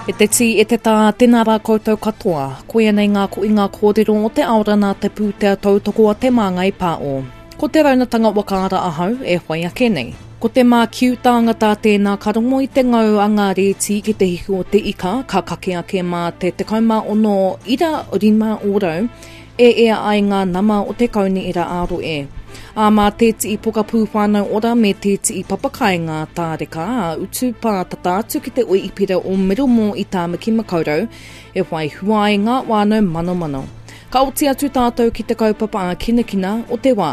E te tī, e te tā, tēnā rā koutou katoa. Koia nei ngā koinga kōrero o te ao rana te pūtea tautoko a Te Māngai Pāo. Ko te raunatanga whakaara ahau e whai ake nei. Ko te mākiu tāngata tēnā ka rongo i te ngau a ngā rēti ki te hiku o te ika ka kake ake mā te 16.5% e ea ai ngā nama o te kaunihera ā-rohe. Ā, mā tētihi pokapū Whānau Ora me tētihi papakāinga tāreka ā-utu pātata atu ki te Oipera o Middlemore i Tāmaki Makaurau e whai hua ai ngā whānau manomano. Ka oti atu tātou ki te kaupapa ākinakina o te wā.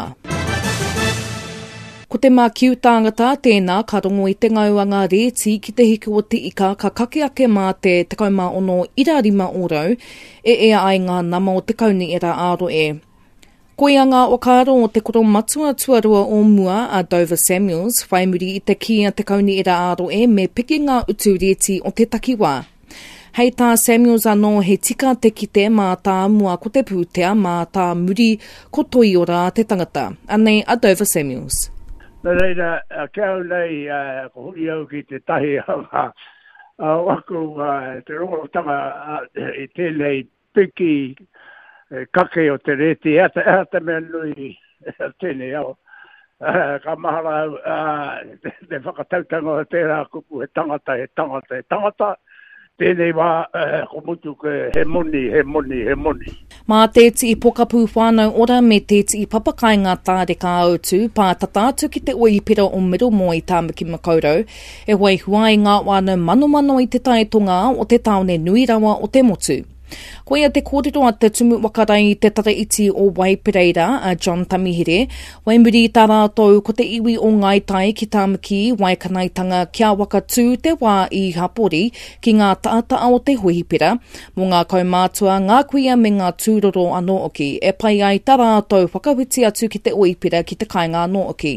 Ko te mākiu tāngata tēnā ka rongo i te ngau a ngā rēti ki te hiku o te ika ka kake ake mā te 16.5 ōrau e ea ai ngā nama o te kaunihera ā-rohe. Koia ngā whakaaro o te koromatua tuarua o mua a Dover Samuels whai muri i te kī a te kaunihera ā-rohe me piki ngā utu rēti o te takiwā. Hei tā Samuels anō he tika te kite mātāmua ko te pūtea, mātāmuri ko toiora te tangata. Anei a Dover Samuels. Nō reira, ki au nei, ko huri au ki tētahi o ngā o aku te rongotanga i tēnei piki kake o te rēti, ehara te mea nui o tēnei ao. Ka mahara au te whakatautanga o tērā kupu he tangata, he tangata, he tangata, tēnei wā ko mutu he moni, he moni, he moni. Mā tētihi pokapū Whānau Ora me tētihi papakāinga tāreka ā-utu pātata atu ki te Oipera o Middlemore i Tāmaki Makaurau e whai hua ai ngā whānau manomano i te tae tonga o te tāone nui rawa o te motu. Koia te kōrero a te Tumu Whakarei i te Tara Iti o Waipereira, a John Tamihere, whai muri i tā rātou ko te iwi o Ngāi Tai ki Tāmaki Waikanaetanga kia whakatū te wā i hapori ki ngā taata'a o te hohipera, mō ngā kaumātua, ngā kuia me ngā tūroro anō hoki, e pai ai tā rātou whakawhiti atu ki te hohipera ki te kāinga anō hoki.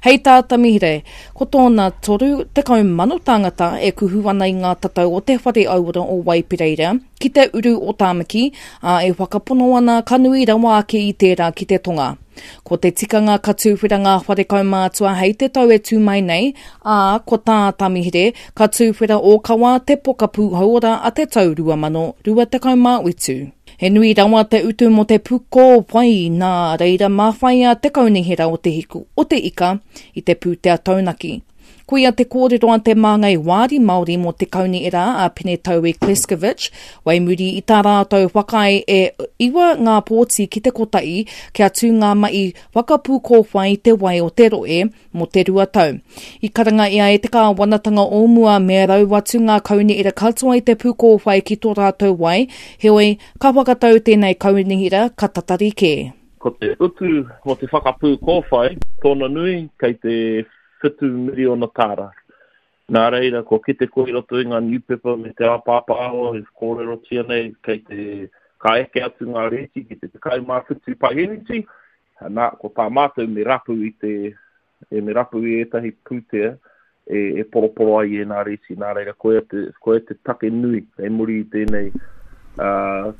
Hei tā Tamihere, ko tōna 30,000 tāngata e kuhu ana i ngā tatau o te Whare Auora o Waipereira ki te uru o Tāmaki, ā, e whakapono ana ka nui rawa ake i tērā ki te tonga. Ko te tikanga ka tūwhera ngā whare kaumātua hei te tau e tū mai nei, ā, ko tā Tamihere, ka tūwhera ōkawa te pokapū hauora a te tau 2027. He nui rawa te utu mō te pukōwai, nā reira mā whaia te kaunihera o Te Hiku o te Ika i te pūtea taunaki. Koia te kōrero a te māngai wāri Māori mō te kaunihera a Penetaui Kleskovic, wai muri i tā rātou whakaae e iwa ngā pōti ki te kotahi kia tū ngā mahi whakapūkōwhai i te wai o te rohe mō te rua tau. I karanga ia e te kāwanatanga o mua me rau atu ngā kaunihera katoa i te pūkōwhai ki tō rātou wai, heoi, ka whakatau tēnei kaunihera ka tatari kē. Ko te utu mō te whakapūkōwhai, tōna nui kei te whitu miriona tāra. Nā reira, kua kite koe i roto i ngā niupepa me te ao pāpāho e kōrerotia nei kei te ka eke atu ngā rēti ki te 17 paheneti, Nā, ko tā mātou me rapu i te, e me rapu i ētahi pūtea e, e poroporo ai i ēnā rēti. Nā reira, koia te, koia te take nui kei muri i tēnei, ā,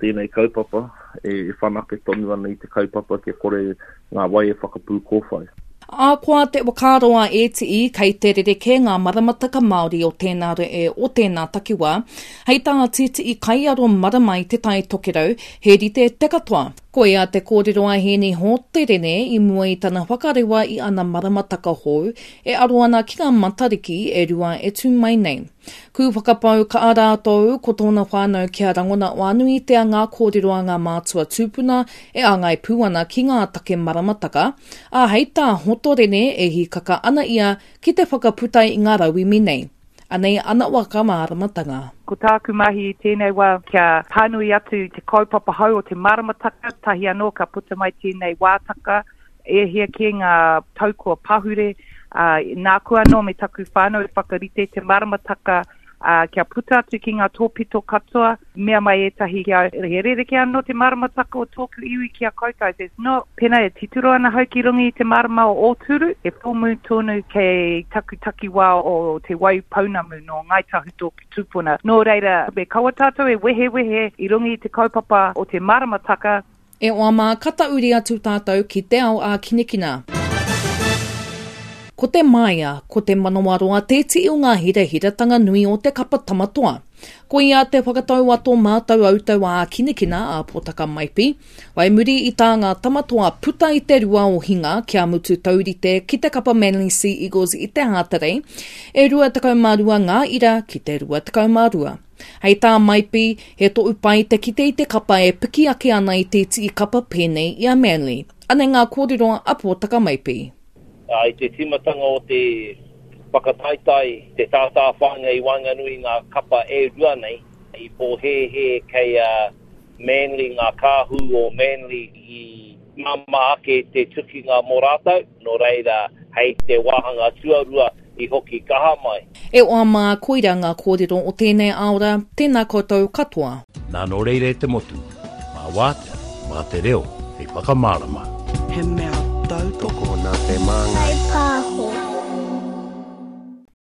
tēnei kaupapa e, e whanake tonu ana i te kaupapa kia kore ngā wai e whakapū kōwhai. Ahakoa te whakaaro a ētihi kei te rerekē ngā maramataka Māori o tēnā rohe, o tēnā takiwā, hei tā tētihi kaiaro marama i Te Tai Tokerau, he rite te katoa. Koia te kōrero a Hēni Hōterene i mua i tana whakarewa i ana maramataka hou e aro ana ki ngā Matariki e rua e tū mai nei. Kū whakapau kaha rātou ko tōna whānau kia rangona wānuitea ngā kōrero a ngā mātua tūpuna e āngai pū ana ki ngā take maramataka, ā, hei tā Hotorene e hīkaka ana ia ki te whakaputa i ngā rauemi nei. Anei ana waka māramatanga. Ko tāku mahi i tēnei wā kia pānui atu i te kaupapa hou o te māramataka, tahi anō ka puta mai tēnei wātaka, e hia kē ngā tau kua pahure, ā, nāku anō me taku whānau i whakarite te māramataka, ā, kia puta atu ki ngā tōpito katoa, mea mai ētahi ki au, he rerekē anō te māramataka o tōku iwi ki a koutou. There's no, pēnā e titiro ana hau ki runga i te mārama o Ōturu, he full moon tonu kei taku takiwā o Te Waipounamu nō Ngāi Tahu tōku tūpuna. Nō reira, me kaua tātou e wehewehe i runga i te kaupapa o te māramataka, E hoa mā, ka tahuri atu tātou ki te ao ākinakina. Ko te māia, ko te manawaroa te tii o ngā hirahiratanga nui o te kapa Tama Toa. Koia te whakatau a tō mātou autau ā-kinakina a Potaka Maipi, whai muri i tā ngā Tamatoa puta i te rua o Hinga kia mutu taurite ki te kapa Manly Sea Eagles i te Hātarei, e 22 ngā ira ki te 22. Hei tā Maipi, he tohu pai te kite i te kapa e piki ake ana i te iti kapa pēnei i a Manly. Anei ngā kōrero a Potaka Maipi. I te tīmatanga o te whakataetae, te tātāwhāinga i waenganui i ngā kapa e rua nei, i pōhēhē kei a Manly ngā kāhu o Manly i māmā ake te tukinga mō rātou, nō reira hei te wāhanga tuarua i hoki kaha mai. E oa mā, koira ngā kōrero o tēnei aora, tēnā koutou katoa. Nā nō reira e te motu, mā wātea, mā te reo hei whakamārama. He mea tautoko. Tokona te māngai. Whai pāho.